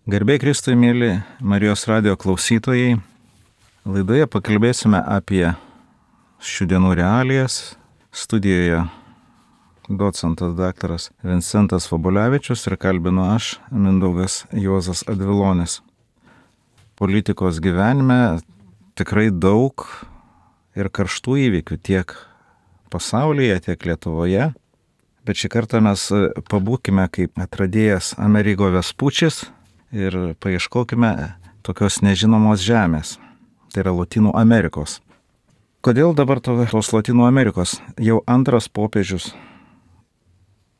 Garbė Kristui, mėly Marijos radijo klausytojai. Laidoje pakalbėsime apie šių dienų realijas. Studijoje docentas daktaras Vincentas Vabulevičius ir kalbinu aš, Mindaugas Juozas Advilonis. Politikos gyvenime tikrai daug ir karštų įvykių tiek pasaulyje, tiek Lietuvoje. Bet šį kartą mes pabūkime kaip atradėjas Amerigo Vespučis ir paieškokime tokios nežinomos žemės. Tai yra Lotynų Amerikos. Kodėl dabar tos Lotynų Amerikos? Jau antras popiežius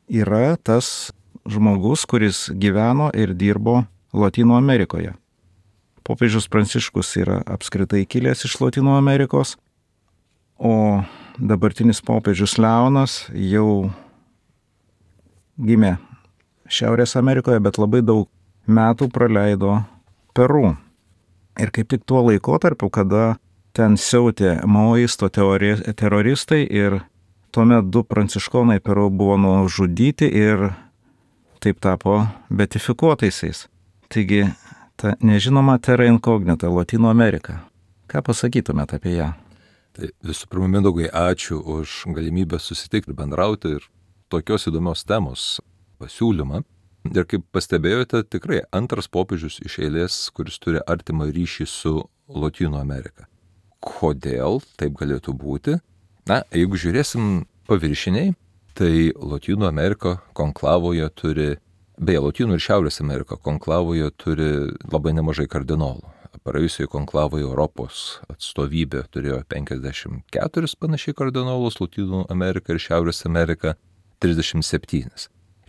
yra tas žmogus, kuris gyveno ir dirbo Lotynų Amerikoje. Popiežius Pranciškus yra apskritai kilęs iš Lotynų Amerikos, o dabartinis popiežius Leonas jau gimė Šiaurės Amerikoje, bet labai daug metų praleido Peru. Ir kaip tik tuo laikotarpiu, kada ten siautė maoisto teroristai ir tuomet 2 pranciškonai Peru buvo nužudyti ir taip tapo beatifikuotaisiais. Taigi, ta nežinoma terra incognita Lotynų Amerika. Ką pasakytumėte apie ją? Tai visų pirma, Mindaugai, ačiū už galimybę susitikti ir bendrauti ir tokios įdomios temos pasiūlymą. Ir kaip pastebėjote, tikrai antras popiežius iš eilės, kuris turi artimą ryšį su Lotynų Amerika. Kodėl taip galėtų būti? Na, jeigu žiūrėsim paviršiniai, tai Lotynų Amerika konklavoje turi, beje, Lotynų ir Šiaurės Amerika konklavoje turi labai nemažai kardinolų. Praėjusioje konklavoje Europos atstovybė turėjo 54 panašiai kardinolus, Lotynų Amerika ir Šiaurės Amerika 37.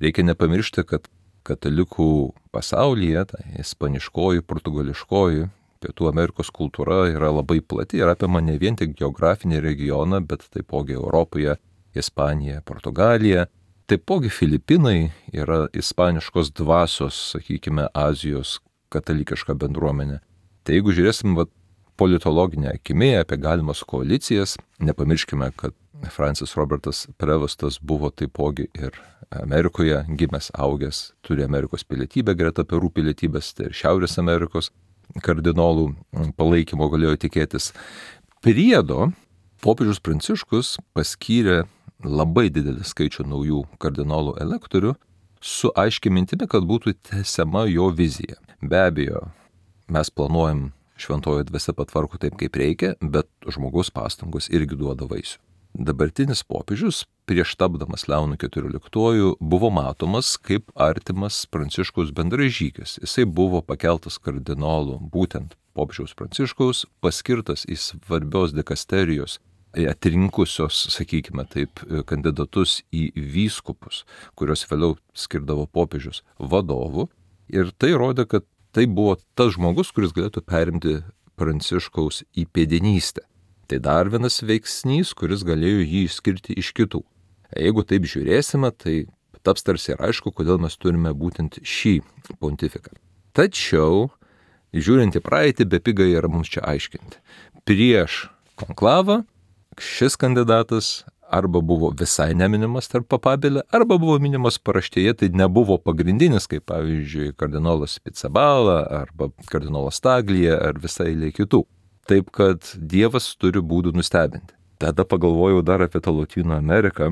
Reikia nepamiršti, kad katalikų pasaulyje, tai ispaniškoji, portugališkoji, Pietų Amerikos kultūra yra labai plati ir apima ne vien tik geografinį regioną, bet taipogi Europoje, Ispanija, Portugalija, taipogi Filipinai yra ispaniškos dvasios, sakykime, Azijos katalikiška bendruomenė. Tai jeigu žiūrėsim politologinę akimi apie galimas koalicijas, nepamirškime, kad Francis Robertas Prevostas buvo taipogi ir Amerikoje gimęs, augęs, turi Amerikos pilietybę greta Peru pilietybės, tai ir Šiaurės Amerikos kardinolų palaikymo galėjo tikėtis. Priedo popiežius Pranciškus paskyrė labai didelį skaičių naujų kardinolų elektorių su aiškia mintimi, kad būtų tęsiama jo vizija. Be abejo, mes planuojam šventoji dvasia patvarko taip, kaip reikia, bet žmogaus pastangos irgi duoda vaisių. Dabartinis popiežius, prieš tapdamas Leonu XIV, buvo matomas kaip artimas Pranciškaus bendražygis. Jisai buvo pakeltas kardinolų, būtent popiežiaus Pranciškaus, paskirtas į svarbios dikasterijos, atrinkusios, sakykime taip, kandidatus į vyskupus, kurios vėliau skirdavo popiežius vadovų. Ir tai rodė, kad tai buvo tas žmogus, kuris galėtų perimti Pranciškaus įpėdinystę. Tai dar vienas veiksnys, kuris galėjo jį išskirti iš kitų. Jeigu taip žiūrėsime, tai taps tarsi ir aišku, kodėl mes turime būtent šį pontifiką. Tačiau, žiūrint į praeitį, bepiga yra mums čia aiškinti. Prieš konklavą šis kandidatas arba buvo visai neminimas tarp papabėlė, arba buvo minimas paraštėje, tai nebuvo pagrindinis, kaip pavyzdžiui kardinolas Pizzaballa arba kardinolas Taglija ar visai eilė kitų. Taip, kad Dievas turi būdų nustebinti. Tada pagalvojau dar apie tą Lotynų Ameriką,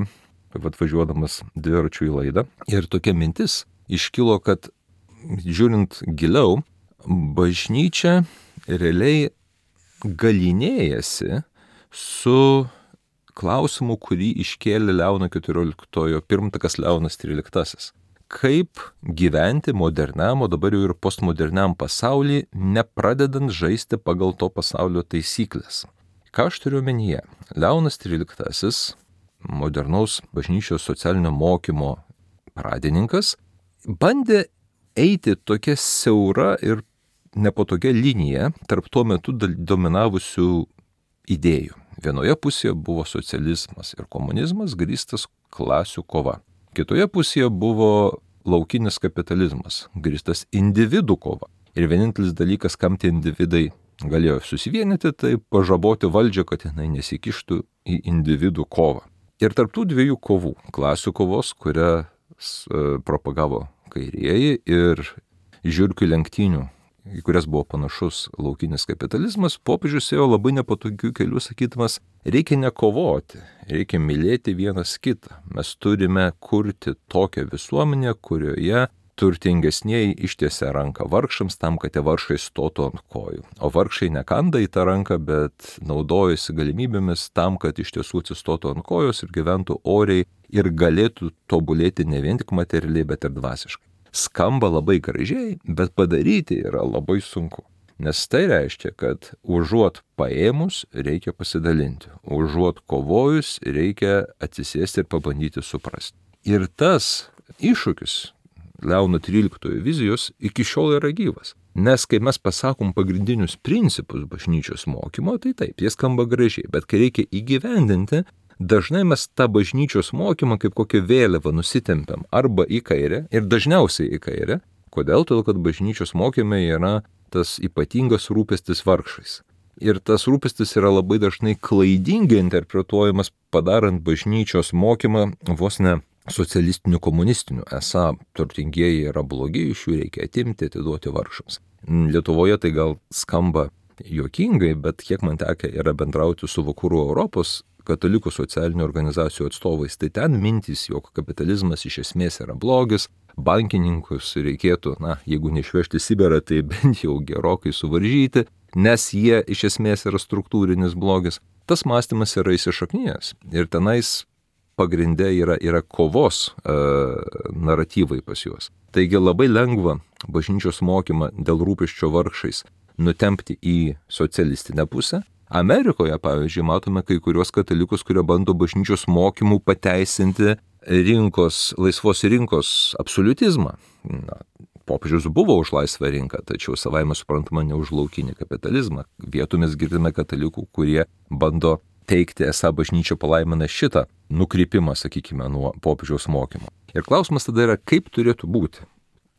atvažiuodamas dviračiu į laidą. Ir tokia mintis iškilo, kad žiūrint giliau, bažnyčia realiai galynėjasi su klausimu, kurį iškėlė Leono XIV pirmtakas Leonas XIII. Kaip gyventi moderniam, o dabar jau ir postmoderniam pasaulyje, nepradedant žaisti pagal to pasaulio taisyklės. Ką aš turiu omenyje? Leonas XIII, modernaus bažnyčios socialinio mokymo pradininkas, bandė eiti tokia siaura ir nepatogia linija tarp tuo metu dominavusių idėjų. Vienoje pusėje buvo socializmas ir komunizmas grįstas klasių kova. Kitoje pusėje buvo laukinis kapitalizmas, grįstas individų kova. Ir vienintelis dalykas, kam tie individai galėjo susivienyti, tai pažaboti valdžią, kad jinai nesikištų į individų kovą. Ir tarp tų dviejų kovų, klasių kovos, kurią propagavo kairieji, ir žiurkių lenktynių, į kurias buvo panašus laukinis kapitalizmas, popiežius ėjo labai nepatogių kelių, sakydamas, reikia nekovoti, reikia mylėti vienas kitą. Mes turime kurti tokią visuomenę, kurioje turtingesnieji ištiesia ranką vargšams tam, kad tie vargšai stotų ant kojų. O vargšai nekanda į tą ranką, bet naudojasi galimybėmis tam, kad iš tiesų atsistotų ant kojos ir gyventų oriai ir galėtų tobulėti ne vien tik materialiai, bet ir dvasiškai. Skamba labai gražiai, bet padaryti yra labai sunku. Nes tai reiškia, kad užuot paėmus reikia pasidalinti, užuot kovojus reikia atsisėsti ir pabandyti suprasti. Ir tas iššūkis Leono XIII vizijos iki šiol yra gyvas. Nes kai mes pasakom pagrindinius principus bažnyčios mokymo, tai taip, jie skamba gražiai, bet kai reikia įgyvendinti, dažnai mes tą bažnyčios mokymą kaip kokią vėliavą nusitempiam arba į kairę ir dažniausiai į kairę. Kodėl? Todėl, kad bažnyčios mokyme yra tas ypatingas rūpestis vargšais. Ir tas rūpestis yra labai dažnai klaidingai interpretuojamas, padarant bažnyčios mokymą vos ne socialistinių, komunistinių. Esą turtingieji yra blogi, iš jų reikia atimti, atiduoti vargšams. Lietuvoje tai gal skamba juokingai, bet kiek man tekę yra bendrauti su vakarų Europos katalikų socialinių organizacijų atstovais, tai ten mintys, jog kapitalizmas iš esmės yra blogis, bankininkus reikėtų, jeigu neišvežti Sibirą, tai bent jau gerokai suvaržyti, nes jie iš esmės yra struktūrinis blogis. Tas mąstymas yra įsišaknijęs ir tenais pagrinde yra kovos naratyvai pas juos. Taigi labai lengva bažnyčios mokymą dėl rūpesčio vargšais nutempti į socialistinę pusę. Amerikoje, pavyzdžiui, matome kai kurios katalikus, kurie bando bažnyčios mokymų pateisinti laisvos rinkos absoliutizmą. Popiežius buvo už laisvą rinką, tačiau savaime suprantama ne už laukinį kapitalizmą. Vietomis girdime katalikų, kurie bando teikti, esą bažnyčia palaimina šitą nukrypimą, sakykime, nuo popiežiaus mokymo. Ir klausimas tada yra, kaip turėtų būti,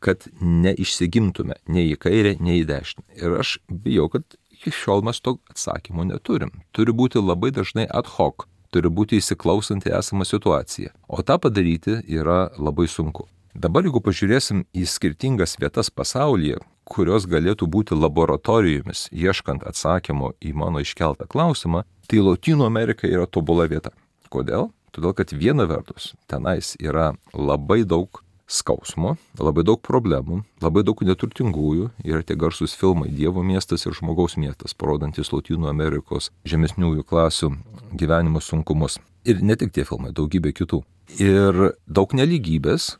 kad neišsigimtume nei į kairę, nei į dešinę. Ir aš bijau, kad iki šiol mes to atsakymo neturim. Turi būti labai dažnai ad hoc, turi būti įsiklausant į esamą situaciją. O tą padaryti yra labai sunku. Dabar, jeigu pažiūrėsim į skirtingas vietas pasaulyje, kurios galėtų būti laboratorijomis, ieškant atsakymo į mano iškeltą klausimą, tai Lotynų Amerika yra tobula vieta. Kodėl? Todėl, kad viena vertus tenais yra labai daug skausmo, labai daug problemų, labai daug neturtingųjų, yra tie garsus filmai Dievo miestas ir žmogaus miestas, parodantis Lotynų Amerikos žemesniųjų klasių gyvenimo sunkumus. Ir ne tik tie filmai, daugybė kitų. Ir daug nelygybės,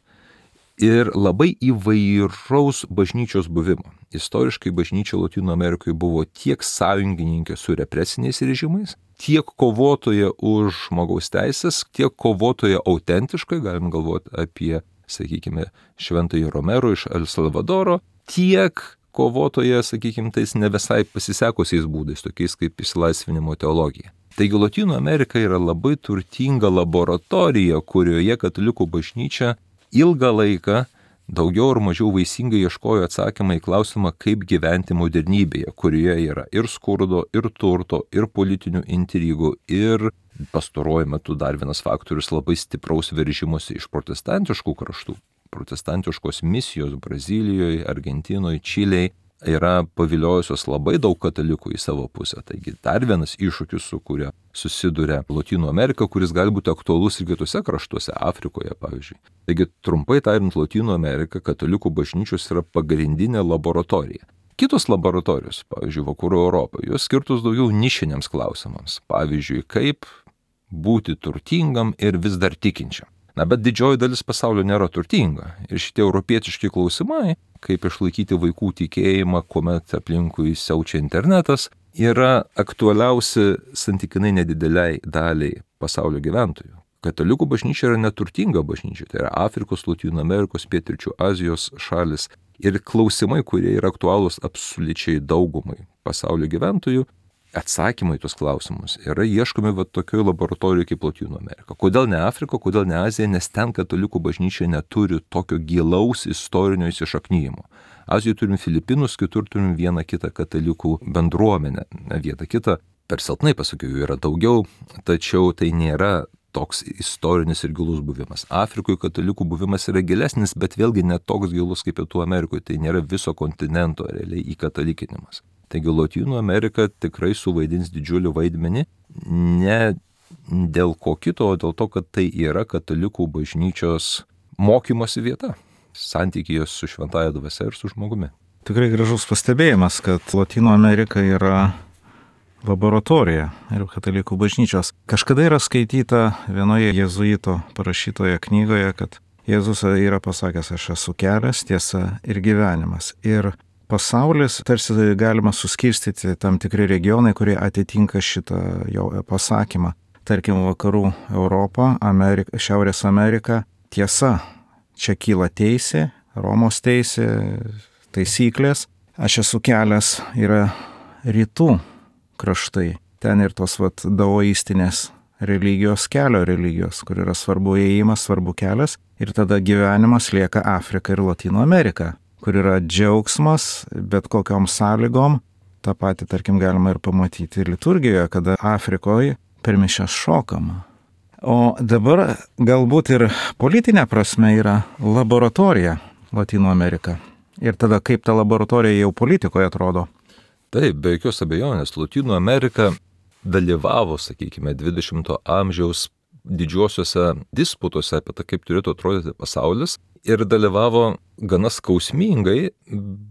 ir labai įvairaus bažnyčios buvimo. Istoriškai bažnyčia Lotynų Amerikoje buvo tiek sąjungininkė su represiniais režimais, tiek kovotoja už žmogaus teisės, tiek kovotoja autentiškai, galim galvoti apie, sakykime, Šventąjį Romero iš El Salvadoro, tiek kovotoja, sakykime, tais ne visai pasisekusiais būdais, tokiais kaip išsilaisvinimo teologija. Taigi Lotynų Amerika yra labai turtinga laboratorija, kurioje katalikų bažnyčia ilgą laiką daugiau ar mažiau vaisingai ieškojo atsakymą į klausimą, kaip gyventi modernybėje, kurioje yra ir skurdo, ir turto, ir politinių intrigų, ir pastaruoju metu dar vienas faktorius labai stipraus veržimosi iš protestantiškų kraštų. Protestantiškos misijos Brazilijoje, Argentinoje, Čilėje yra paviliojusios labai daug katalikų į savo pusę. Taigi dar vienas iššūkis, su kuria susiduria Lotynų Amerika, kuris gali būti aktualus ir kitose kraštuose, Afrikoje pavyzdžiui. Taigi trumpai tariant, Lotynų Amerika katalikų bažnyčios yra pagrindinė laboratorija. Kitos laboratorijos, pavyzdžiui, Vakarų Europoje, jos skirtos daugiau nišiniams klausimams. Pavyzdžiui, kaip būti turtingam ir vis dar tikinčiam. Bet didžioji dalis pasaulio nėra turtinga. Ir šitie europietiški klausimai, kaip išlaikyti vaikų tikėjimą, kuomet aplinkui siaučia internetas, yra aktualiausi santykinai nedideliai daliai pasaulio gyventojų. Katalikų bažnyčia yra neturtinga bažnyčia, tai yra Afrikos, Lotynų Amerikos, Pietryčių Azijos šalis. Ir klausimai, kurie yra aktualūs absoliučiai daugumai pasaulio gyventojų, atsakymai į tuos klausimus yra ieškomi tokioje laboratorijoje kaip Lotynų Amerika. Kodėl ne Afrika, kodėl ne Azija, nes ten katalikų bažnyčia neturi tokio gilaus istorinio įsišaknyjimo. Azijoje turim Filipinus, kitur turim vieną kitą katalikų bendruomenę. Vietą kitą, per silpnai pasakiau, jų yra daugiau, tačiau tai nėra toks istorinis ir gilus buvimas. Afrikoje katalikų buvimas yra gilesnis, bet vėlgi ne toks gilus kaip Pietų Amerikoje. Tai nėra viso kontinento realiai įkatalikinimas. Taigi Lotynų Amerika tikrai suvaidins didžiulį vaidmenį, ne dėl ko kito, o dėl to, kad tai yra katalikų bažnyčios mokymosi vieta, santykyje su šventąja dvasia ir su žmogumi. Tikrai gražus pastebėjimas, kad Lotynų Amerika yra laboratorija ir katalikų bažnyčios. Kažkada yra skaityta vienoje jėzuito parašytoje knygoje, kad Jėzus yra pasakęs, aš esu kelias, tiesa ir gyvenimas. Ir pasaulis tarsi galima suskirstyti tam tikri regionai, kurie atitinka šitą jo pasakymą. Tarkim, vakarų Europą, Šiaurės Amerika, tiesa, čia kyla teisė, Romos teisė, taisyklės. Aš esu kelias, yra rytų kraštai. Ten ir tos daoistinės religijos, kelio religijos, kur yra svarbu ėjimas, svarbu kelias. Ir tada gyvenimas lieka Afrika ir Lotynų Amerika, kur yra džiaugsmas, bet kokiom sąlygom. Ta pati, tarkim, galima ir pamatyti liturgijoje, kada Afrikoje per mišias šokama. O dabar galbūt ir politinė prasme yra laboratorija Lotynų Amerika. Ir tada kaip ta laboratorija jau politikoje atrodo? Taip, be jokios abejonės, Lotynų Amerika dalyvavo, sakykime, 20-ojo amžiaus didžiuosiuose disputuose apie tai, kaip turėtų atrodyti pasaulis, ir dalyvavo gana skausmingai,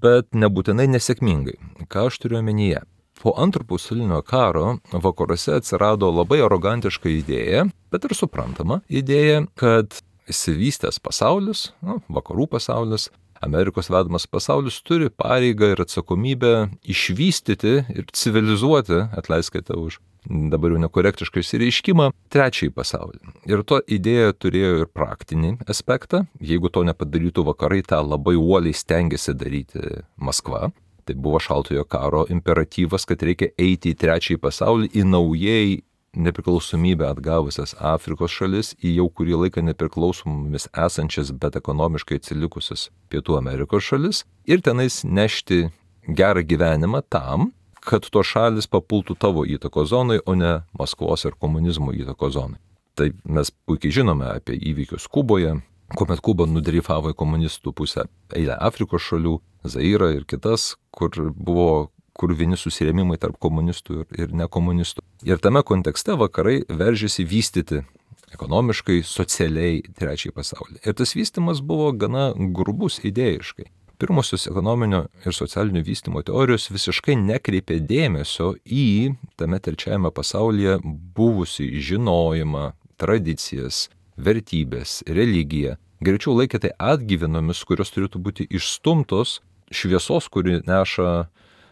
bet nebūtinai nesėkmingai. Ką aš turiu omenyje? Po Antrojo pasaulinio karo vakaruose atsirado labai arogantiška idėja, bet ir suprantama idėja, kad išsivystęs pasaulis, vakarų pasaulis, Amerikos vedamas pasaulis turi pareigą ir atsakomybę išvystyti ir civilizuoti, atleiskite už dabar jau nekorektišką išsireiškimą, trečiąjį pasaulį. Ir to idėja turėjo ir praktinį aspektą. Jeigu to nepadarytų vakarai, tą labai uoliai stengiasi daryti Maskva. Tai buvo šaltojo karo imperatyvas, kad reikia eiti į trečiąjį pasaulį, į naujai nepriklausomybę atgavusias Afrikos šalis, į jau kurį laiką nepriklausomomis esančias, bet ekonomiškai atsilikusias Pietų Amerikos šalis ir tenais nešti gerą gyvenimą tam, kad to šalis papultų tavo įtako zonai, o ne Maskvos ir komunizmo įtako zonai. Tai mes puikiai žinome apie įvykius Kuboje, kuomet Kuba nudreifavo į komunistų pusę eilę Afrikos šalių, Zairą ir kitas, kur vieni susirėmimai tarp komunistų ir nekomunistų. Ir tame kontekste vakarai veržėsi vystyti ekonomiškai, socialiai trečiąjį pasaulį. Ir tas vystymas buvo gana grubus idėjiškai. Pirmosios ekonominio ir socialinio vystymo teorijos visiškai nekreipė dėmesio į tame trečiajame pasaulyje buvusi žinojimą, tradicijas, vertybės, religiją. Greičiau laikė tai atgyvenomis, kurios turėtų būti išstumtos šviesos, kuri neša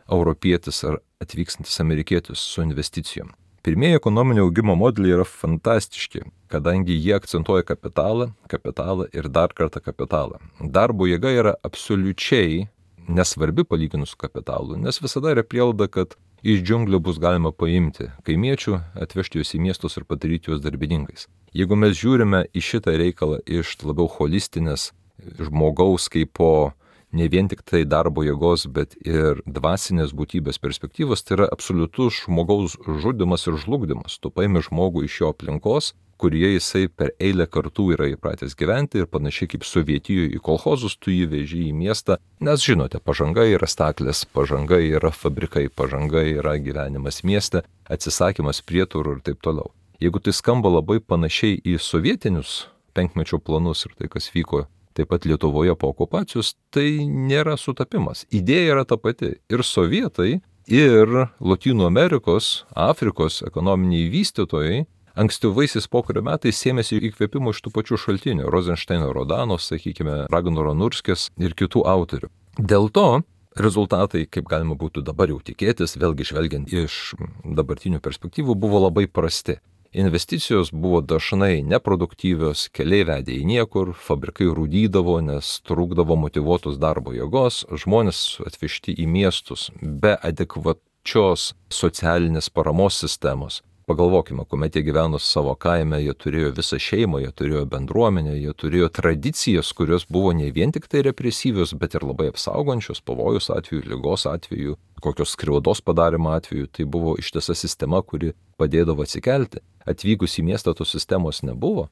europietis ar atvykstantis amerikietis su investicijom. Pirmieji ekonominio augimo modeliai yra fantastiški, kadangi jie akcentuoja kapitalą ir dar kartą kapitalą. Darbo jėga yra absoliučiai nesvarbi palyginus su kapitalu, nes visada yra prielaida, kad iš džiunglių bus galima paimti kaimiečių, atvežti juos į miestus ir padaryti juos darbininkais. Jeigu mes žiūrime į šitą reikalą iš labiau holistinės žmogaus kaip po ne vien tik tai darbo jėgos, bet ir dvasinės būtybės perspektyvos, tai yra absoliutus žmogaus žudymas ir žlugdymas. Tu paimi žmogų iš jo aplinkos, kurie jisai per eilę kartų yra įpratęs gyventi ir panašiai kaip Sovietijoje į kolchozus, tu jį veži į miestą, nes žinote, pažanga yra staklės, pažanga yra fabrikai, pažanga yra gyvenimas mieste, atsisakymas prieturų ir taip toliau. Jeigu tai skamba labai panašiai į sovietinius penkmečio planus ir tai, kas vyko taip pat Lietuvoje po okupacijos, tai nėra sutapimas. Idėja yra ta pati. Ir sovietai, ir Lotynų Amerikos, Afrikos ekonominiai vystytojai ankstyvaisiais pokario metais sėmėsi įkvėpimo iš tų pačių šaltinių, Rozenšteino, Rodano, sakykime, Ragnaro Nurskės ir kitų autorių. Dėl to rezultatai, kaip galima būtų dabar jau tikėtis, vėlgi žvelgiant iš dabartinių perspektyvų, buvo labai prasti. Investicijos buvo dažnai neproduktyvios, keliai vedė į niekur, fabrikai rūdydavo, nes trūkdavo motyvuotos darbo jėgos, žmonės atvežti į miestus be adekvačios socialinės paramos sistemos Pagalvokime, kuomet jie gyveno savo kaime, jie turėjo visą šeimą, jie turėjo bendruomenę, jie turėjo tradicijas, kurios buvo ne vien tik tai represyvios, bet ir labai apsaugančios pavojus atveju, ligos atveju, kokios skriaudos padarimo atveju. Tai buvo ištisa sistema, kuri padėdavo atsikelti. Atvykus į miestą tos sistemos nebuvo.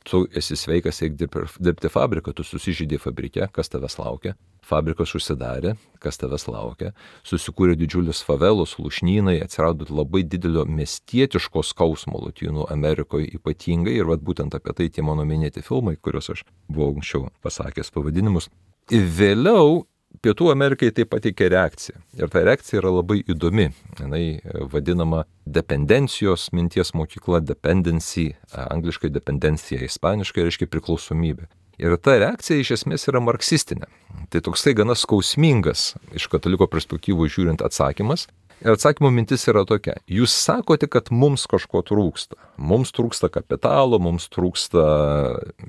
Tu esi sveikas, eik dirbti fabriką, tu susižydė fabrike, kas tavęs laukia. Fabrikas užsidarė, kas tavęs laukia. Susikūrė didžiulis favelos, lūšnynai, atsirado labai didelio miestietiško skausmo Lotynų Amerikoje ypatingai. Ir būtent apie tai tie mano minėti filmai, kuriuos aš buvau anksčiau pasakęs pavadinimus. Ir vėliau Pietų Amerikai tai pateikė reakciją. Ir ta reakcija yra labai įdomi. Jinai vadinama dependencijos minties mokykla, dependency, angliškai dependencija, ispaniškai reiškia priklausomybė. Ir ta reakcija iš esmės yra marksistinė. Tai toksai gana skausmingas iš kataliko perspektyvų žiūrint atsakymas. Ir atsakymo mintis yra tokia. Jūs sakote, kad mums kažko trūksta. Mums trūksta kapitalo, mums trūksta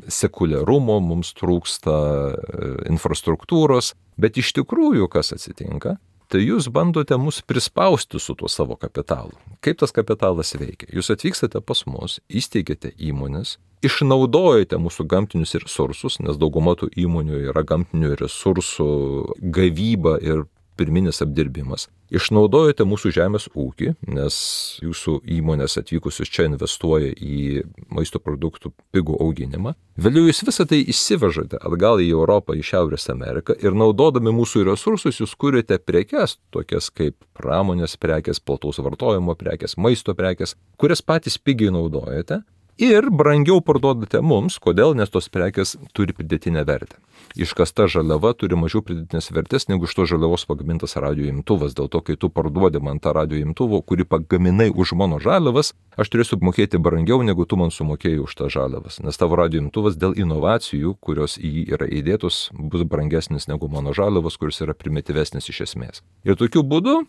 sekuliarumo, mums trūksta infrastruktūros. Bet iš tikrųjų, kas atsitinka, tai jūs bandote mus prispausti su tuo savo kapitalu. Kaip tas kapitalas veikia? Jūs atvykstate pas mus, įsteigėte įmonės, išnaudojate mūsų gamtinius resursus, nes dauguma tų įmonių yra gamtinių resursų gavyba ir pirminis apdirbimas. Išnaudojate mūsų žemės ūkį, nes jūsų įmonės atvykusius čia investuoja į maisto produktų pigų auginimą. Vėliau jūs visą tai išsivežate atgal į Europą, į Šiaurės Ameriką ir naudodami mūsų resursus jūs kuriate prekes, tokias kaip pramonės prekes, plataus vartojimo prekes, maisto prekes, kurias patys pigiai naudojate. Ir brangiau parduodate mums, kodėl, nes tos prekės turi pridėtinę vertę. Iškasta žaliava turi mažiau pridėtinės vertės negu iš to žaliavos pagamintas radio imtuvas. Dėl to, kai tu parduodi man tą radio imtuvo, kurį pagaminai už mano žaliavas, aš turėsiu mokėti brangiau, negu tu man sumokėjai už tą žaliavas. Nes tavo radio imtuvas dėl inovacijų, kurios į jį yra įdėtos, bus brangesnis negu mano žaliavas, kuris yra primityvesnis iš esmės. Ir tokiu būdu,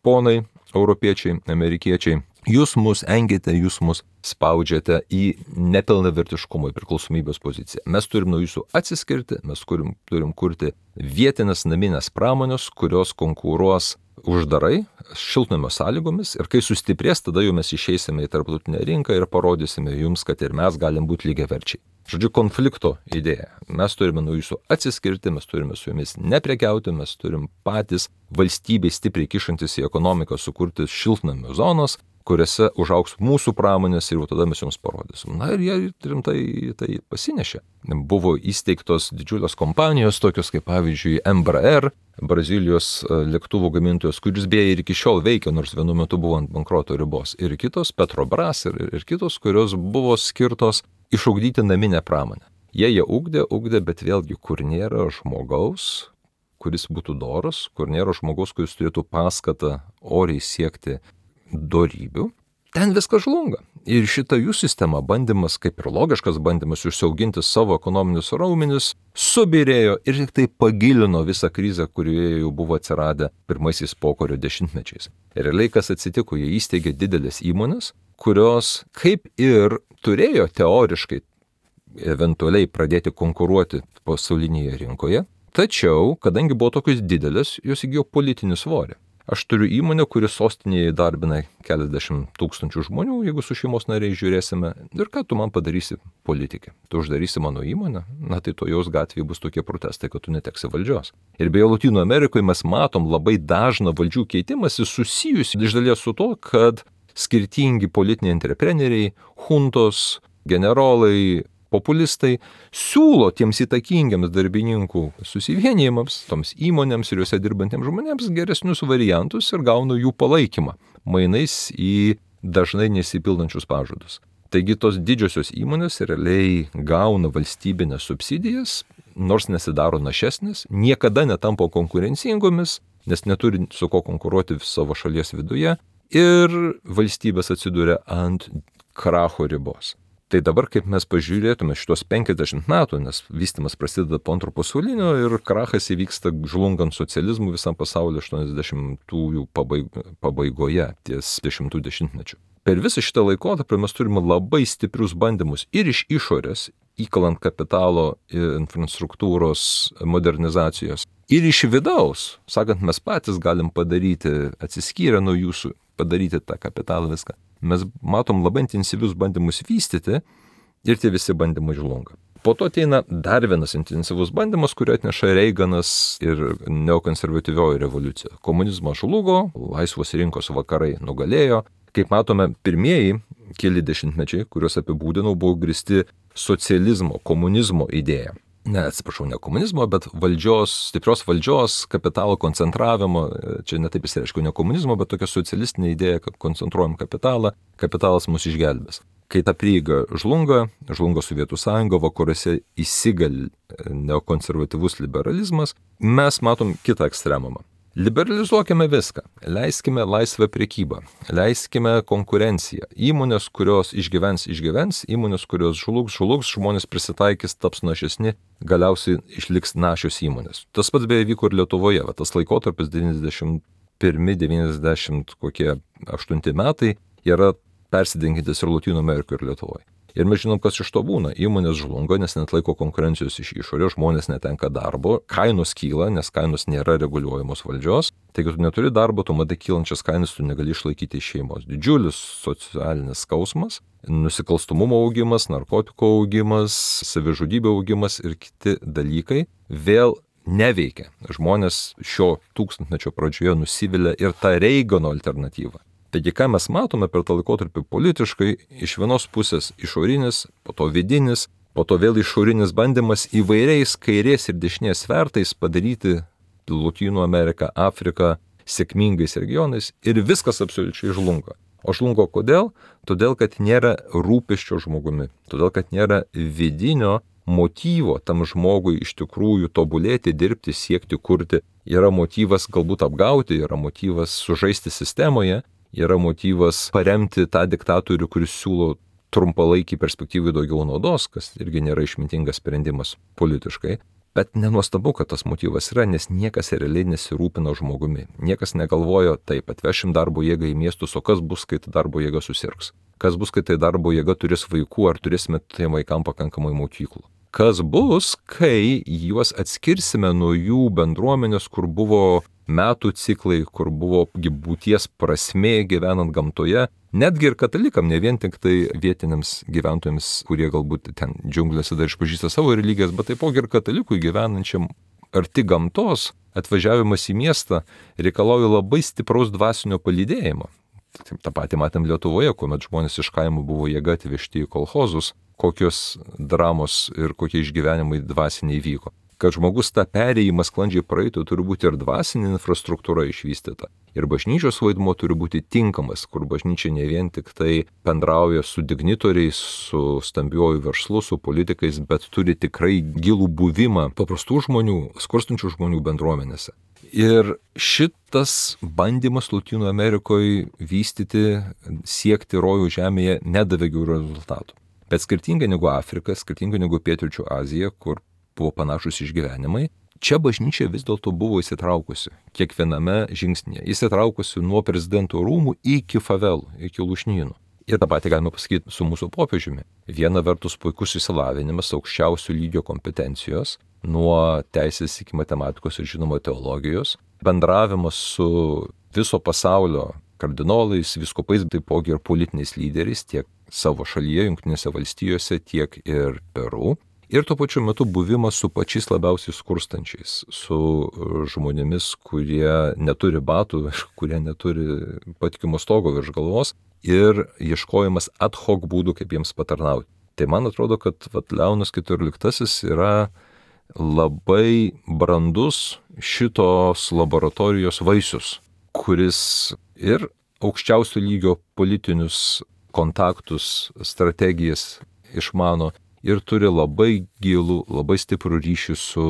ponai, europiečiai, amerikiečiai, jūs mus engėte, jūs mus spaudžiate į nepilnavertiškumo, į priklausomybės poziciją. Mes turim nuo jūsų atsiskirti, mes turim kurti vietinės naminės pramonės, kurios konkuruos uždarai, šiltnamio sąlygomis ir kai sustiprės, tada jau mes išeisime į tarptautinę rinką ir parodysime jums, kad ir mes galim būti lygiaverčiai. Žodžiu, konflikto idėja. Mes turime nuo jūsų atsiskirti, mes turime su jumis neprekiauti, mes turim patys valstybei stipriai kišantis į ekonomiką sukurti šiltnamio zonos, kuriuose užaugs mūsų pramonės ir jau tada mes jums parodysim. Na ir jie rimtai tai pasinešė. Buvo įsteigtos didžiulės kompanijos, tokios kaip pavyzdžiui Embraer, Brazilijos lėktuvų gamintojos, kuris beje ir iki šiol veikia, nors vienu metu buvo ant bankroto ribos. Ir kitos, Petrobras ir kitos, kurios buvo skirtos išugdyti naminę pramonę. Jie ugdė, bet vėlgi, kur nėra žmogaus, kuris būtų doras, kur nėra žmogaus, kuris turėtų paskatą oriai siekti dorybių, ten viskas žlunga. Ir šita jų sistema, bandymas, kaip ir logiškas bandymas užsiauginti savo ekonominius raumenis, subirėjo ir tik tai pagilino visą krizę, kurioje jau buvo atsiradę pirmaisiais pokario dešimtmečiais. Ir realiai kas atsitiko, jie įsteigė didelės įmonės, kurios kaip ir turėjo teoriškai eventualiai pradėti konkuruoti pasaulinėje rinkoje, tačiau, kadangi buvo tokios didelės, jos įgijo politinį svorį. Aš turiu įmonę, kuri sostinėje įdarbina keliasdešimt tūkstančių žmonių, jeigu su šeimos nariais žiūrėsime. Ir ką tu man padarysi, politikė? Tu uždarysi mano įmonę? Na tai to jos gatvėje bus tokie protestai, kad tu neteksi valdžios. Ir beje, Lotynų Amerikoje mes matom labai dažną valdžių keitimąsi susijusi iš dalies su to, kad skirtingi politiniai entrepreneriai, huntos, generolai, populistai siūlo tiems įtakingiams darbininkų susivienijimams, toms įmonėms ir juose dirbantiems žmonėms geresnius variantus ir gauna jų palaikymą, mainais į dažnai nesipildančius pažadus. Taigi tos didžiosios įmonės realiai gauna valstybinės subsidijas, nors nesidaro našesnės, niekada netampa konkurencingomis, nes neturi su ko konkuruoti savo šalies viduje ir valstybės atsiduria ant kracho ribos. Tai dabar, kaip mes pažiūrėtume šitos 50 metų, nes vystymas prasideda po antro pasaulinio ir krachas įvyksta žlungant socializmų visam pasaulyje 80-ųjų pabaigoje, ties 10-mečių. Per visą šitą laikotarpį mes turime labai stiprius bandymus ir iš išorės, įkalant kapitalo infrastruktūros modernizacijos, ir iš vidaus, sakant, mes patys galim padaryti, atsiskyrę nuo jūsų, padaryti tą kapitalą viską. mes matom labai intensyvius bandymus vystyti ir tie visi bandymai žlunga. Po to ateina dar vienas intensyvus bandymas, kurį atneša Reiganas ir neokonservatyvioji revoliucija. Komunizmas žlugo, laisvos rinkos vakarai nugalėjo. Kaip matome, pirmieji keli dešimtmečiai, kuriuos apibūdinau, buvo grįsti socializmo, komunizmo idėja. Ne komunizmo, bet stiprios valdžios, kapitalo koncentravimo, čia netaip išsireiškiau, ne komunizmo, bet tokia socialistinė idėja, kad koncentruojam kapitalą, kapitalas mus išgelbės. Kai ta prieiga žlunga Sovietų sąjunga, vakaruose įsigali neokonservatyvus liberalizmas, mes matom kitą ekstremumą. Liberalizuokime viską, leiskime laisvę prekybą, leiskime konkurenciją. Įmonės, kurios išgyvens, įmonės, kurios žlugs, žmonės prisitaikys, taps našesni, galiausiai išliks našios įmonės. Tas pats beje vyko ir Lietuvoje, tas laikotarpis 91-98 metai yra persidengintis ir Lotynų Amerikoje ir Lietuvoje. Ir mes žinom, kas iš to būna. Įmonės žlunga, nes netlaiko konkurencijos iš išorės, žmonės netenka darbo, kainos kyla, nes kainos nėra reguliuojamos valdžios. Tai jeigu tu neturi darbo, tu matai kylančias kainas, tu negali išlaikyti šeimos. Didžiulis socialinis skausmas, nusikalstumumo augimas, narkotikų augimas, savižudybė augimas ir kiti dalykai vėl neveikia. Žmonės šio tūkstantmečio pradžioje nusivilia ir tą Reigano alternatyvą. Taigi, ką mes matome per tą laikotarpį politiškai, iš vienos pusės išorinis, po to vidinis, po to vėl išorinis bandymas įvairiais kairės ir dešinės svertais padaryti Lotynų Ameriką, Afriką sėkmingais regionais ir viskas absoliučiai žlunga. O žlungo kodėl? Todėl, kad nėra rūpesčio žmogumi, todėl, kad nėra vidinio motyvo tam žmogui iš tikrųjų tobulėti, dirbti, siekti, kurti. Yra motyvas galbūt apgauti, yra motyvas sužaisti sistemoje, yra motyvas paremti tą diktatorių, kuris siūlo trumpalaikį perspektyvai daugiau naudos, kas irgi nėra išmintingas sprendimas politiškai. Bet nenuostabu, kad tas motyvas yra, nes niekas realiai nesirūpina žmogumi. Niekas negalvojo, taip, atvešim darbo jėgą į miestus, o kas bus, kai ta darbo jėga susirgs? Kas bus, kai tai darbo jėga turės vaikų, ar turėsime tiem vaikam pakankamai mokyklų? Kas bus, kai juos atskirsime nuo jų bendruomenės, kur buvo metų ciklai, kur buvo būties prasmė gyvenant gamtoje, netgi ir katalikam, ne vien tik tai vietiniams gyventojams, kurie galbūt ten džiunglėse dar išpažįsta savo religijas, bet taipogi ir katalikui gyvenančiam arti gamtos, atvažiavimas į miestą reikalauja labai stipraus dvasinio palydėjimo. Ta patį matėm Lietuvoje, kuomet žmonės iš kaimų buvo jėga atvežti į kolchozus, kokios dramos ir kokie išgyvenimai dvasiniai vyko. Kad žmogus tą perėjimą sklandžiai praeitų, turi būti ir dvasinė infrastruktūra išvystyta. Ir bažnyčios vaidmuo turi būti tinkamas, kur bažnyčia ne vien tik tai bendrauja su dignitoriais, su stambiuoju verslu, su politikais, bet turi tikrai gilų buvimą paprastų žmonių, skurstančių žmonių bendruomenėse. Ir šitas bandymas Lotynų Amerikoje vystyti, siekti rojų žemėje nedavė gerų rezultatų. Bet skirtingai negu Afrika, skirtingai negu Pietryčių Azija, kur buvo panašus išgyvenimai, čia bažnyčia vis dėlto buvo įsitraukusi kiekviename žingsnyje. Įsitraukusi nuo prezidento rūmų iki favelų, iki lūšnynų. Ir tą patį galima pasakyti su mūsų popiežiumi. Viena vertus puikus išsilavinimas, aukščiausių lygio kompetencijos, nuo teisės iki matematikos ir žinoma teologijos, bendravimas su viso pasaulio kardinolais, vyskupais, taipogi ir politiniais lyderiais, tiek savo šalyje, Jungtinėse valstijose, tiek ir Peru. Ir tuo pačiu metu buvimas su pačiais labiausiai skurstančiais, su žmonėmis, kurie neturi batų, kurie neturi patikimo stogo virš galvos ir ieškojimas ad hoc būdų, kaip jiems patarnauti. Tai man atrodo, kad Leonas XIV yra labai brandus šitos laboratorijos vaisius, kuris ir aukščiausio lygio politinius kontaktus, strategijas išmano, ir turi labai gilų, labai stiprų ryšį su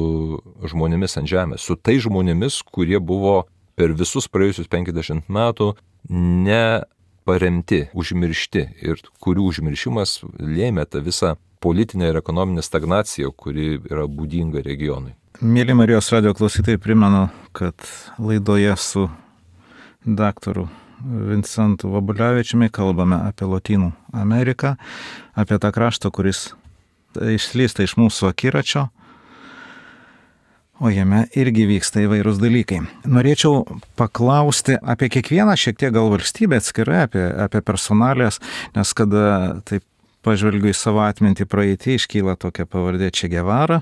žmonėmis ant žemės, su tai žmonėmis, kurie buvo per visus praėjusius 50 metų neparemti, užmiršti ir kurių užmiršimas lėmė tą visą politinę ir ekonominę stagnaciją, kuri yra būdinga regionui. Mėly Marijos radijo klausytojai, primenu, kad laidoje su daktaru Vincentu Vabulevičiumi kalbame apie Lotynų Ameriką, apie tą kraštą, kuris išslysta iš mūsų akiračio. o jame irgi vyksta įvairūs dalykai. Norėčiau paklausti apie kiekvieną šiek tiek gal valstybę atskirai, apie personalijas, nes kada taip pažvelgiu į savo atmintį praeitį, iškyla tokia pavardė Che Guevara,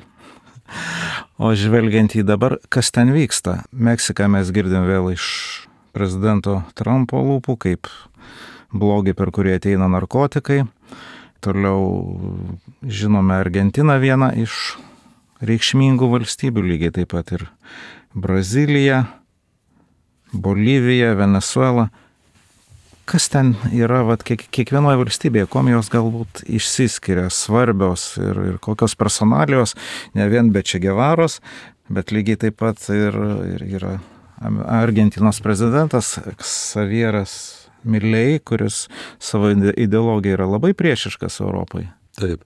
o žvelgiant į dabar, kas ten vyksta. Meksiką mes girdim vėl iš prezidento Trumpo lūpų, kaip blogį, per kurį ateina narkotikai. Toliau žinome Argentiną, vieną iš reikšmingų valstybių, lygiai taip pat ir Brazilija, Bolivija, Venezuela. Kas ten yra, kiekvienoje valstybėje, kuom jos galbūt išsiskiria, svarbios ir kokios personalijos, ne vien be Che Guevaros, bet lygiai taip pat ir yra Argentinos prezidentas Xavieras Milei, kuris savo ideologija yra labai priešiškas Europai. Taip.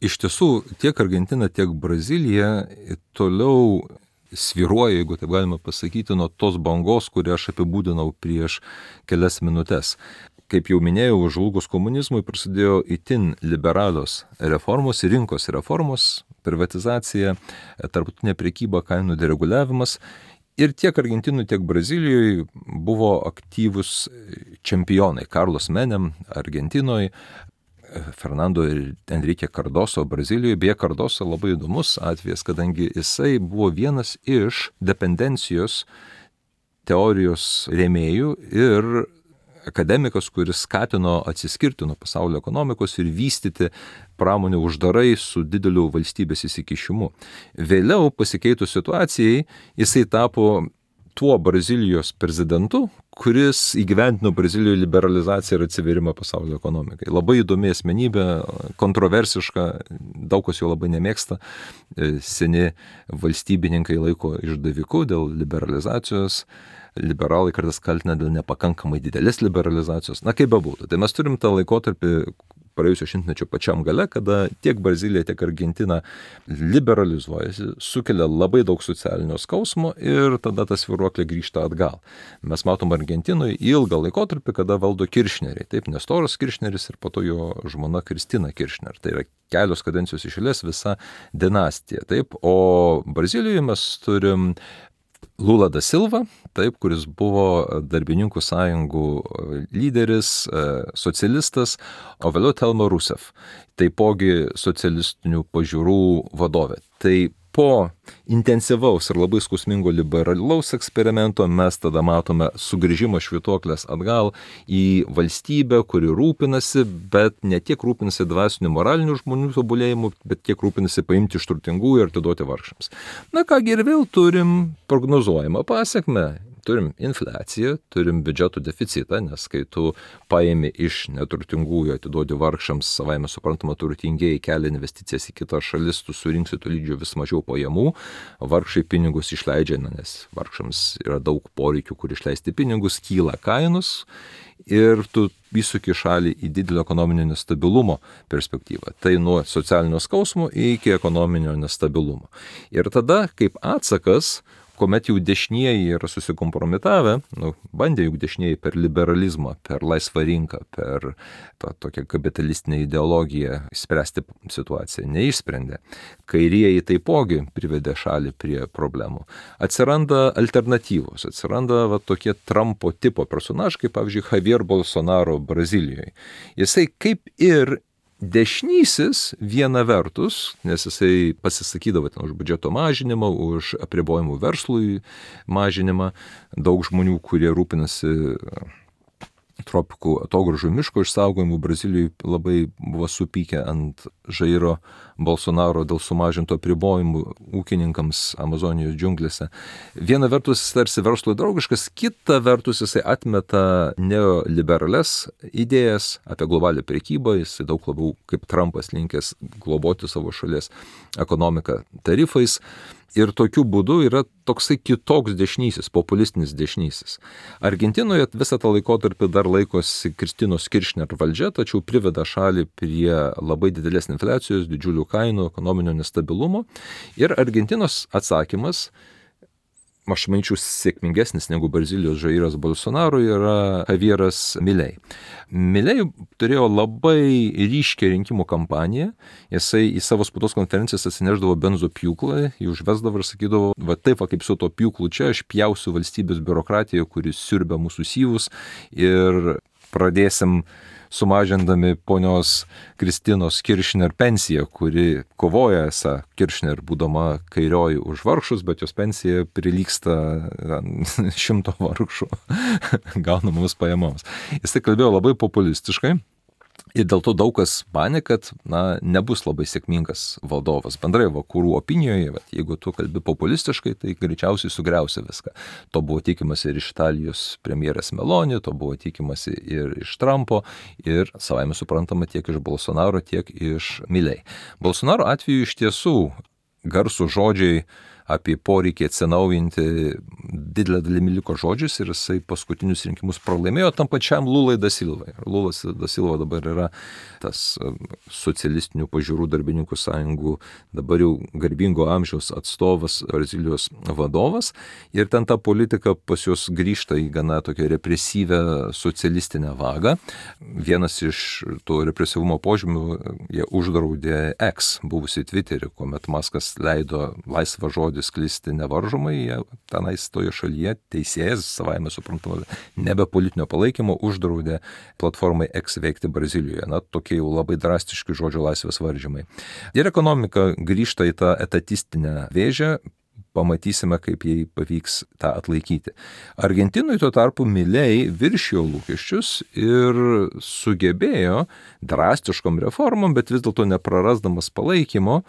Iš tiesų, tiek Argentina, tiek Brazilija toliau svyruoja, jeigu taip galima pasakyti, nuo tos bangos, kurią aš apibūdinau prieš kelias minutės. Kaip jau minėjau, žlugus komunizmui prasidėjo itin liberalios reformos, rinkos reformos, privatizacija, tarptautinė prekyba, kainų dereguliavimas. Ir tiek Argentinui, tiek Brazilijoje buvo aktyvus čempionai. Carlos Menem Argentinoje, Fernando ir Enrique Cardoso Brazilijoje. Beje, Cardoso labai įdomus atvejis, kadangi jisai buvo vienas iš dependencijos teorijos rėmėjų ir akademikas, kuris skatino atsiskirti nuo pasaulio ekonomikos ir vystyti pramonę uždarai su dideliu valstybės įsikišimu. Vėliau pasikeitus situacijai, jisai tapo tuo Brazilijos prezidentu, kuris įgyvendino Brazilijoje liberalizaciją ir atsiverimą pasaulio ekonomikai. Labai įdomi asmenybė, kontroversiška, daug kas jo labai nemėgsta. Seni valstybininkai laiko išdaviku dėl liberalizacijos. Liberalai kartais kaltina dėl nepakankamai didelės liberalizacijos. Na, kaip bebūtų. Tai mes turim tą laikotarpį praėjusio šimtmečio pačiam gale, kada tiek Brazilija, tiek Argentina liberalizuojasi, sukelia labai daug socialinio skausmo ir tada tas svyruoklė grįžta atgal. Mes matom Argentinoje ilgą laikotarpį, kada valdo Kiršneriai. Taip, Nestoras Kiršneris ir po to jo žmona Kristina Kiršner. Tai yra kelios kadencijos iš eilės visa dinastija. Taip, o Brazilijoje mes turim Lula da Silva, taip, kuris buvo darbininkų sąjungų lyderis, socialistas, o vėliau Dilma Rousseff, taipogi socialistinių pažiūrų vadovė. Tai po intensyvaus ir labai skausmingo liberalaus eksperimento mes tada matome sugrįžimą švytuoklės atgal į valstybę, kuri rūpinasi, bet ne tiek rūpinasi dvasinių moralinių žmonių tobulėjimu, bet tiek rūpinasi paimti iš turtingųjų ir atiduoti vargšams. Na kągi, ir vėl turim prognozuojamą pasekmę. Turim infliaciją, turim biudžeto deficitą, nes kai tu paimi iš neturtingųjų, atiduodi vargšams, savaime suprantama, turtingieji kelia investicijas į kitas šalis, tu surinksi tolydžio vis mažiau pajamų, vargšai pinigus išleidžia, nes vargšams yra daug poreikių, kur išleisti pinigus, kyla kainos ir tu įsuki šalį į didelio ekonominio nestabilumo perspektyvą. Tai nuo socialinio skausmo iki ekonominio nestabilumo. Ir tada, kaip atsakas, kuomet jau dešinieji yra susikompromitavę, bandė juk dešinieji per liberalizmą, per laisvą rinką, per tą tokią kapitalistinę ideologiją spręsti situaciją, neišsprendė. Kairieji taipogi privedė šalį prie problemų. Atsiranda alternatyvos, atsiranda tokie Trumpo tipo personažai, kaip pavyzdžiui Javier Bolsonaro Brazilijoje. Jisai kaip ir dešinysis viena vertus, nes jisai pasisakydavo ten už biudžeto mažinimą, už apribojimų verslui mažinimą, daug žmonių, kurie rūpinasi tropikų atogrąžų miško išsaugojimu Brazilijoje labai buvo supykę ant Jairo Bolsonaro dėl sumažinto apribojimų ūkininkams Amazonijos džiunglėse. Viena vertus jis tarsi verslui draugiškas, kita vertus jisai atmeta neoliberales idėjas apie globalią prekybą, jis daug labiau kaip Trumpas linkęs globoti savo šalies ekonomiką tarifais. Ir tokiu būdu yra toksai kitoks dešinysis, populistinis dešinysis. Argentinoje visą tą laikotarpį dar laikosi Kristinos Kiršner valdžia, tačiau priveda šalį prie labai didelės infliacijos, didžiulių kainų, ekonominio nestabilumo. Ir Argentinos atsakymas aš manyčiau, sėkmingesnis negu Brazilijos Jairas Bolsonaro yra Javieras Milei. Milei turėjo labai ryškią rinkimų kampaniją. Jisai į savo spaudos konferencijas atsineždavo benzo pjūklą, jį užvesdavo ir sakydavo, va taip, va, kaip su to pjūklu čia, aš pjausiu valstybės biurokratiją, kuris siurbia mūsų syvus ir pradėsim sumažindami ponios Kristinos Kirchner pensiją, kuri kovoja esą Kirchner būdama kairioji už vargšus, bet jos pensija prilyksta 100 vargšų gaunamoms pajamoms. Jis tai kalbėjo labai populistiškai. Ir dėl to daug kas manė, kad nebus labai sėkmingas valdovas. Bendrai vakarų opinijoje, jeigu tu kalbi populistiškai, tai greičiausiai sugriausi viską. To buvo tikimasi ir iš Italijos premjerės Meloni, to buvo tikimasi ir iš Trumpo, ir savaime suprantama tiek iš Bolsonaro, tiek iš Milei. Bolsonaro atveju iš tiesų garsų žodžiai apie poreikį atsinaujinti didelę dalimi liko žodžius ir jisai paskutinius rinkimus pralaimėjo tam pačiam Lulai da Silvai. Lulas da Silva dabar yra tas socialistinių pažiūrų darbininkų sąjungų dabar jau garbingo amžiaus atstovas, Brazilijos vadovas, ir ten ta politika pas juos grįžta į gana tokią represyvę socialistinę vagą. Vienas iš to represyvumo požymių, jie uždraudė X, buvusi Twitterį, kuomet Maskas leido laisvą žodį sklisti nevaržomai, tenais toje šalyje teisėjas, savaime suprantama, nebe politinio palaikymo, uždraudė platformai X veikti Brazilijoje. Tokie jau labai drastiški žodžio laisvės varžymai. Ir ekonomika grįžta į tą etatistinę vėžę, pamatysime, kaip jai pavyks tą atlaikyti. Argentinui tuo tarpu Milei viršijo lūkesčius ir sugebėjo drastiškom reformom, bet vis dėlto neprarasdamas palaikymo,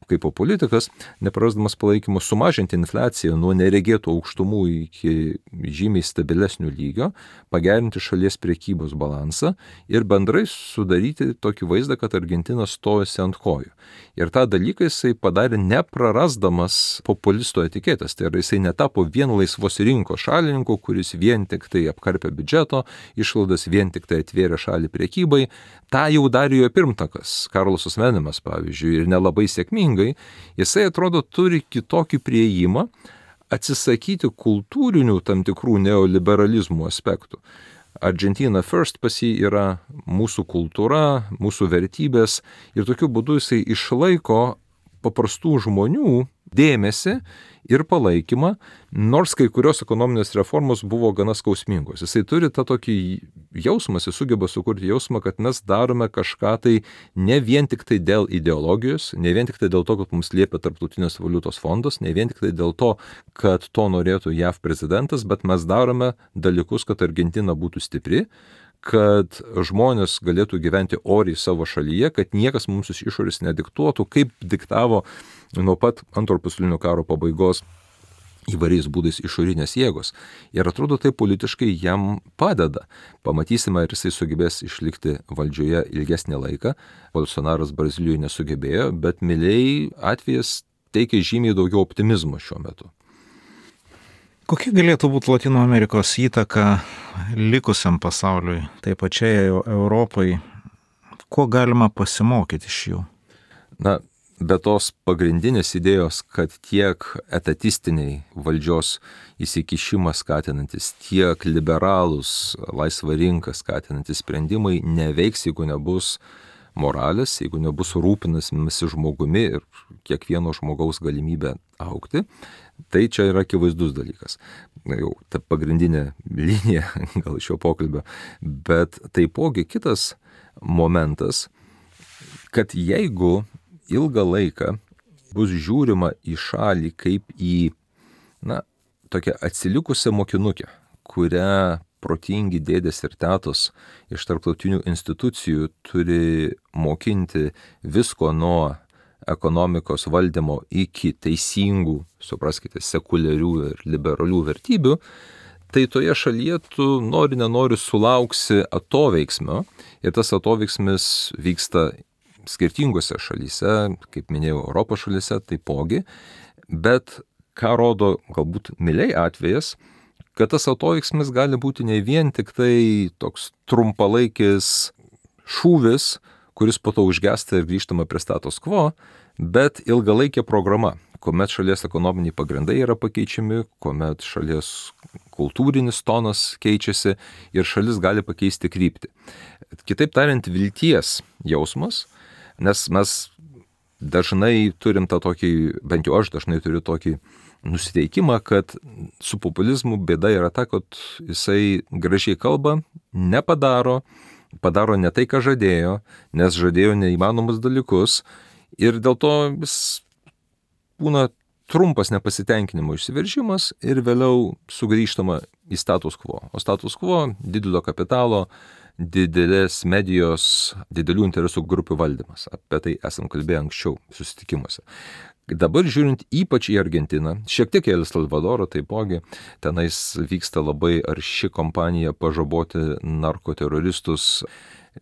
kaip politikas, neprarasdamas palaikymo, sumažinti infliaciją nuo neregėtų aukštumų iki žymiai stabilesnių lygio, pagerinti šalies prekybos balansą ir bendrai sudaryti tokį vaizdą, kad Argentina stojasi ant kojų. Ir tą dalyką jisai padarė neprarasdamas populisto etiketės. Tai yra, jisai netapo vien laisvos rinkos šalininku, kuris vien tik tai apkarpė biudžeto išlaidas, vien tik tai atvėrė šalį prekybai. Ta jau darė jo pirmtakas, Karlosas Menemas, pavyzdžiui, ir nelabai sėkmingai. Jisai, atrodo, turi kitokį priėjimą atsisakyti kultūrinių tam tikrų neoliberalizmų aspektų. Argentina First pas jį yra mūsų kultūra, mūsų vertybės ir tokiu būdu jisai išlaiko paprastų žmonių dėmesį ir palaikymą, nors kai kurios ekonominės reformos buvo gana skausmingos. Jisai turi tą tokį jausmą, jis sugeba sukurti jausmą, kad mes darome kažką tai ne vien tik tai dėl ideologijos, ne vien tik tai dėl to, kad mums liepia Tarptautinės valiutos fondas, ne vien tik tai dėl to, kad to norėtų JAV prezidentas, bet mes darome dalykus, kad Argentina būtų stipri, kad žmonės galėtų gyventi oriai savo šalyje, kad niekas mums iš išorės nediktuotų, kaip diktavo nuo pat Antrojo pasaulinio karo pabaigos įvairiais būdais išorinės jėgos. Ir atrodo, tai politiškai jam padeda. Pamatysime, ar jisai sugebės išlikti valdžioje ilgesnį laiką. Bolsonaras Brazilijoje nesugebėjo, bet Milei atvejas teikia žymiai daugiau optimizmo šiuo metu. Kokia galėtų būti Latino Amerikos įtaka likusiam pasauliui, taip pačiai Europai? Ko galima pasimokyti iš jų? Be tos pagrindinės idėjos, kad tiek etatistiniai valdžios įsikišimą skatinantis, tiek liberalūs laisvą rinką skatinantis sprendimai neveiks, jeigu nebus moralės, jeigu nebus rūpinamasi žmogumi ir kiekvieno žmogaus galimybę augti, tai čia yra akivaizdus dalykas. Jau ta pagrindinė linija gal šio pokalbio, bet taipogi kitas momentas, kad jeigu ilgą laiką bus žiūrima į šalį kaip į, tokią atsilikusią mokinukę, kurią protingi dėdės ir tetos iš tarptautinių institucijų turi mokinti visko nuo ekonomikos valdymo iki teisingų, supraskite, sekuliarių ir liberalių vertybių, tai toje šalyje tu nenori sulauksi atoveiksmio ir tas atoveiksmis vyksta skirtingose šalyse, kaip minėjau, Europos šalyse taipogi, bet ką rodo galbūt Milei atvejas, kad tas atoveiksmis gali būti ne vien tik tai toks trumpalaikis šūvis, kuris po to užgesta ir grįžtama prie status quo, bet ilgalaikė programa, kuomet šalies ekonominiai pagrindai yra pakeičiami, kuomet šalies kultūrinis tonas keičiasi ir šalis gali pakeisti kryptį. Kitaip tariant, vilties jausmas, nes mes dažnai turim tą tokį, bent jau aš dažnai turiu tokį nusiteikimą, kad su populizmu bėda yra ta, kad jisai gražiai kalba, padaro ne tai, ką žadėjo, nes žadėjo neįmanomus dalykus ir dėl to vis būna trumpas nepasitenkinimo išsiveržimas ir vėliau sugrįžtama į status quo. O status quo didelio kapitalo, didelės medijos, didelių interesų grupių valdymas. Apie tai esam kalbėję anksčiau susitikimuose. Dabar žiūrint ypač į Argentiną, šiek tiek į El Salvadorą taipogi, tenais vyksta labai arši kampanija pažaboti narkoteroristus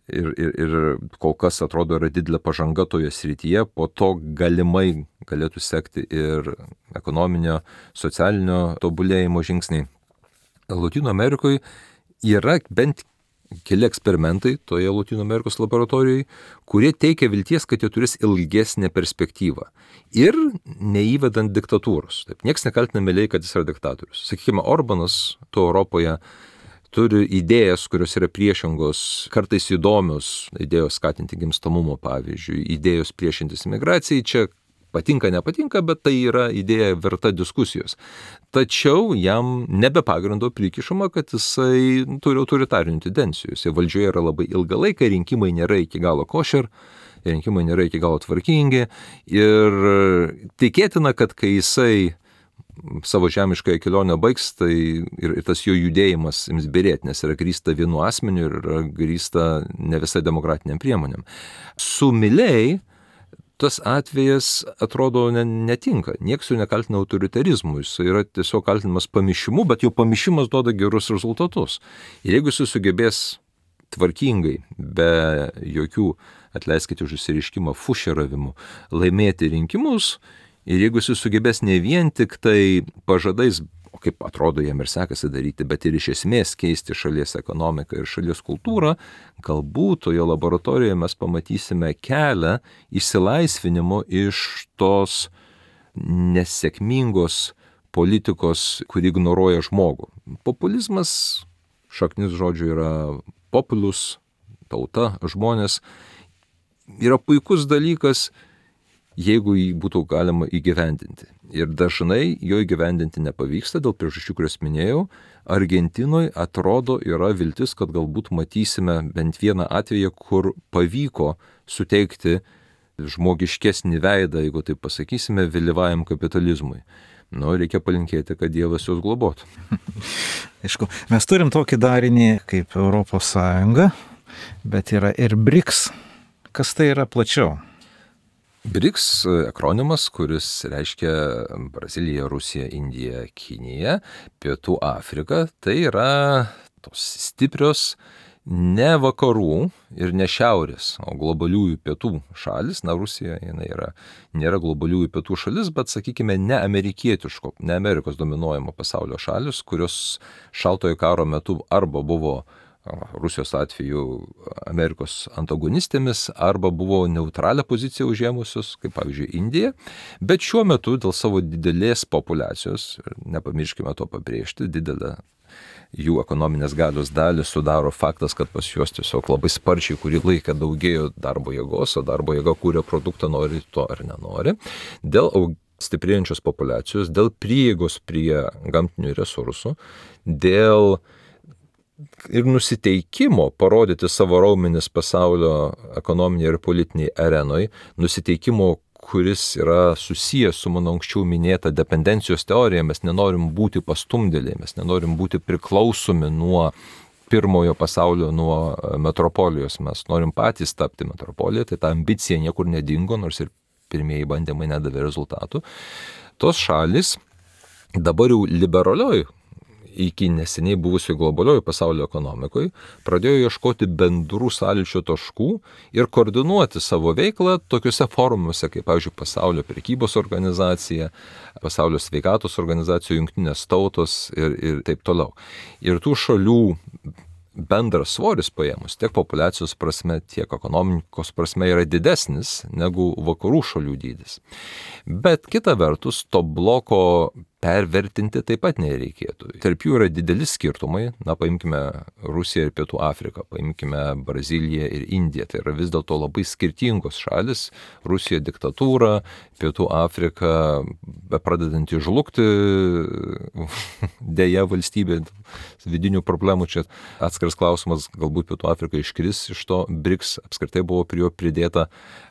ir kol kas atrodo yra didelė pažanga toje srityje, po to galimai galėtų sekti ir ekonominio, socialinio tobulėjimo žingsniai. Lotynų Amerikoje yra bent keli eksperimentai toje Lotynų Amerikos laboratorijoje, kurie teikia vilties, kad jie turės ilgesnę perspektyvą. Ir neįvedant diktatūros. Taip, nieks nekaltina mėliai, kad jis yra diktatorius. Sakykime, Orbanas to Europoje turi idėjas, kurios yra priešingos, kartais įdomios, idėjos skatinti gimstamumą, pavyzdžiui, idėjos priešintis imigracijai, čia patinka, nepatinka, bet tai yra idėja verta diskusijos. Tačiau jam nebe pagrindo prikišama, kad jisai turi autoritarinių tendencijų. Jisai valdžioje yra labai ilgą laiką, rinkimai nėra iki galo košer, rinkimai nėra iki galo tvarkingi ir tikėtina, kad kai jisai savo žemiškąją kelionę baigs, tai ir tas jo judėjimas ims byrėti, nes yra grįsta vienu asmeniu ir yra grįsta ne visai demokratiniam priemonėm. Su Milei tas atvejas atrodo netinka. Niekas jo nekaltina autoritarizmu, jis yra tiesiog kaltinamas pamišimu, bet jo pamišimas duoda gerus rezultatus. Ir jeigu jis sugebės tvarkingai, be jokių, atleiskite už išsireiškimą, fušeravimų, laimėti rinkimus, ir jeigu jis sugebės ne vien tik tai pažadais, o kaip atrodo jam ir sekasi daryti, bet ir iš esmės keisti šalies ekonomiką ir šalies kultūrą, galbūt toje laboratorijoje mes pamatysime kelią išsilaisvinimo iš tos nesėkmingos politikos, kuri ignoruoja žmogų. Populizmas, šaknis žodžių yra populus, tauta, žmonės, yra puikus dalykas, jeigu jį būtų galima įgyvendinti. Ir dažnai jo įgyvendinti nepavyksta dėl priežasčių, kurias minėjau. Argentinoje atrodo yra viltis, kad galbūt matysime bent vieną atvejį, kur pavyko suteikti žmogiškesnį veidą, jeigu taip pasakysime, vėlyvajam kapitalizmui. Reikia palinkėti, kad Dievas juos globotų. Aišku, mes turim tokį darinį kaip Europos Sąjunga, bet yra ir BRICS. Kas tai yra plačiau? BRICS akronimas, kuris reiškia Brazilija, Rusija, Indija, Kinija, Pietų Afrika, tai yra tos stiprios ne vakarų ir ne šiaurės, o globaliųjų pietų šalis. Rusija nėra globaliųjų pietų šalis, bet, sakykime, ne amerikietiško, ne Amerikos dominuojamo pasaulio šalis, kurios šaltojo karo metu arba buvo Rusijos atveju Amerikos antagonistėmis arba buvo neutralią poziciją užėmusios, kaip pavyzdžiui Indija, bet šiuo metu dėl savo didelės populiacijos, nepamirškime to pabrėžti, didelę jų ekonominės galios dalį sudaro faktas, kad pas juos tiesiog labai sparčiai kurį laiką daugėjo darbo jėgos, o darbo jėga kūrė produktą, nori to ar nenori, dėl stiprėjančios populiacijos, dėl prieigos prie gamtinių resursų, dėl ir nusiteikimo parodyti savo raumenis pasaulio ekonominėje ir politinėje arenoje, nusiteikimo, kuris yra susijęs su mano anksčiau minėta dependencijos teorija. Mes nenorim būti pastumdėliai, mes nenorim būti priklausomi nuo pirmojo pasaulio, nuo metropolijos. Mes norim patys tapti metropoliją, tai ta ambicija niekur nedingo, nors ir pirmieji bandymai nedavė rezultatų. Tos šalis dabar jau liberalioj, iki neseniai buvusioje globalioje pasaulio ekonomikoje, pradėjo ieškoti bendrų sąlyčio taškų ir koordinuoti savo veiklą tokiuose forumuose, kaip, pavyzdžiui, Pasaulio prekybos organizacija, Pasaulio sveikatos organizacija, Jungtinės tautos ir taip toliau. Ir tų šalių bendras svoris paėmus tiek populiacijos prasme, tiek ekonomikos prasme yra didesnis negu vakarų šalių dydis. Bet kita vertus, to bloko pervertinti taip pat nereikėtų. Tarp jų yra dideli skirtumai, paimkime Rusiją ir Pietų Afriką, paimkime Braziliją ir Indiją, tai yra vis dėlto labai skirtingos šalis, Rusija diktatūra, Pietų Afrika pradedanti žlugti, dėja valstybė, vidinių problemų, čia atskiras klausimas, galbūt Pietų Afrika iškris iš to, BRICS apskritai buvo prie jo pridėta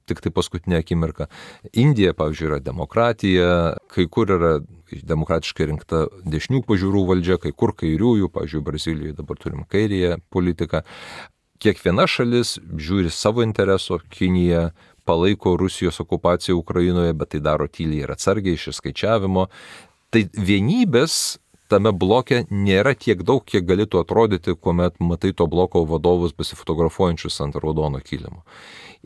tik tai paskutinė akimirka. Indija, pavyzdžiui, yra demokratija, kai kur yra demokratiškai rinkta dešinių pažiūrų valdžia, kai kur kairiųjų, pavyzdžiui, Brazilijoje dabar turim kairėje politiką. Kiekviena šalis žiūri savo intereso, Kinija palaiko Rusijos okupaciją Ukrainoje, bet tai daro tyliai ir atsargiai iš išskaičiavimo. Tai vienybės tame bloke nėra tiek daug, kiek galėtų atrodyti, kuomet matai to bloko vadovus besifotografuojančius ant raudono kilimo.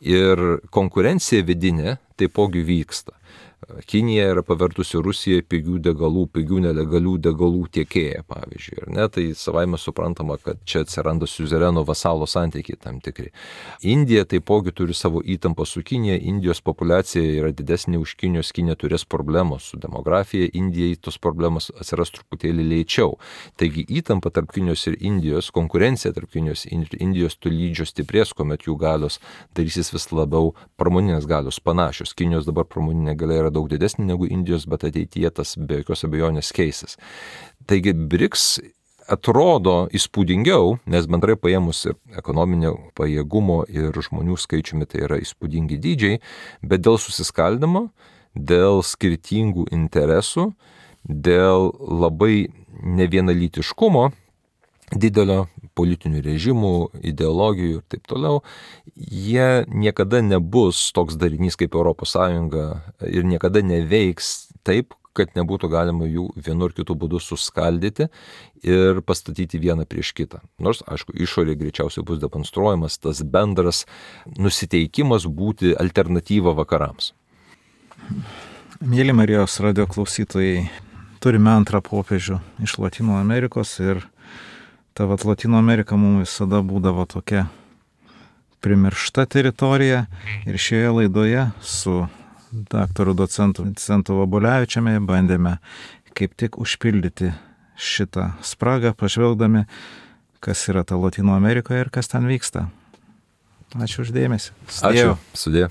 Ir konkurencija vidinė taipogi vyksta. Kinija yra pavertusi Rusiją pigių degalų, pigių nelegalių degalų tiekėją, pavyzdžiui. Ir ne, tai savaime suprantama, kad čia atsiranda siuzereno vasalo santykiai tam tikri. Indija taipogi turi savo įtampą su Kinija, Indijos populiacija yra didesnė už Kinijos, Kinija turės problemos su demografija, Indijai tos problemos atsiras truputėlį lėčiau. Taigi įtampa tarp Kinijos ir Indijos, konkurencija tarp Kinijos ir Indijos tolydžio stiprės, kuomet jų galios darysis vis labiau pramoninės galios panašios. Kinijos dabar pramoninė galia yra daug didesnė negu Indijos, bet ateityje tas be jokios abejonės keisis. Taigi BRICS atrodo įspūdingiau, nes bendrai paėmus ir ekonominio pajėgumo ir žmonių skaičiumi tai yra įspūdingi dydžiai, bet dėl susiskaldimo, dėl skirtingų interesų, dėl labai nevienalytiškumo, didelio politinių režimų, ideologijų ir taip toliau, jie niekada nebus toks darinys kaip ES ir niekada neveiks taip, kad nebūtų galima jų vienu ar kitu būdu suskaldyti ir pastatyti vieną prieš kitą. Nors, aišku, išorė greičiausiai bus demonstruojamas tas bendras nusiteikimas būti alternatyva vakarams. Mėly Marijos radio klausytojai, turime antrą popiežių iš Latino Amerikos ir ta Latino Amerika mums visada būdavo tokia primiršta teritorija ir šioje laidoje su daktaru docentu Vincentu Vabulevičiumi bandėme kaip tik užpildyti šitą spragą, pažvelgdami, kas yra ta Latino Amerikoje ir kas ten vyksta. Ačiū už dėmesį. Ačiū. Sudie.